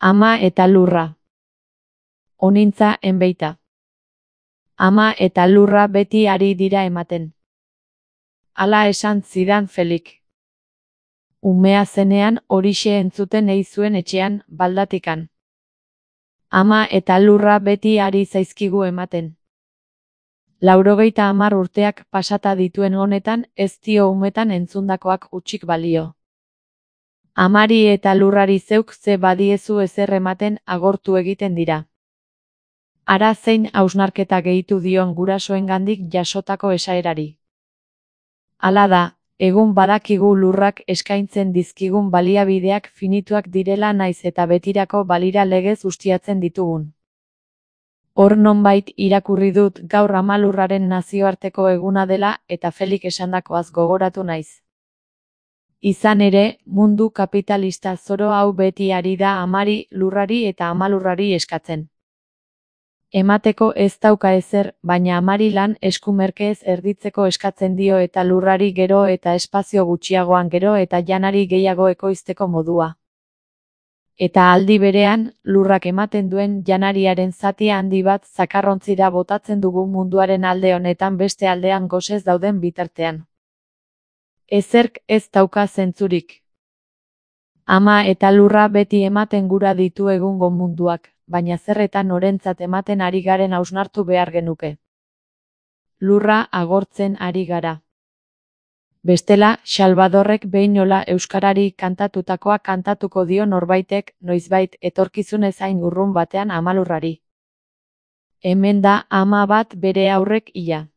Ama eta lurra. Onintza enbeita. Ama eta lurra beti ari dira ematen. Hala esan zidan Felik. Umea zenean horixe entzuten ei zuen etxean, baldatikan. Ama eta lurra beti ari zaizkigu ematen. 90 urteak pasata dituen honetan ez dio umetan entzundakoak hutsik balio. Amari eta lurrari zeuk ze badiezu ezer ematen agortu egiten dira. Ara zein hausnarketa gehitu dion gurasoengandik jasotako esaerari. Hala da, egun badakigu lurrak eskaintzen dizkigun baliabideak finituak direla naiz eta betirako balira legez ustiatzen ditugun. Hor nonbait irakurri dut gaur Ama Lurraren nazioarteko eguna dela eta Felik esandakoaz gogoratu naiz. Izan ere, mundu kapitalista zoro hau beti ari da amari, lurrari eta amalurrari eskatzen. Emateko ez dauka ezer, baina amari lan eskumerkez erditzeko eskatzen dio eta lurrari gero eta espazio gutxiagoan gero eta janari gehiago ekoizteko modua. Eta aldi berean, lurrak ematen duen janariaren zati handi bat zakarrontzira botatzen dugu munduaren alde honetan beste aldean gosez dauden bitartean. Ezerk ez dauka zentzurik. Ama eta lurra beti ematen gura ditu egungo munduak, baina zerretan norentzat ematen ari garen hausnartu behar genuke. Lurra agortzen ari gara. Bestela, Salvadorrek behinola euskarari kantatutakoa kantatuko dio norbaitek, noizbait etorkizunez hain urrun batean amalurrari. Hemen da ama bat bere haurrek hila.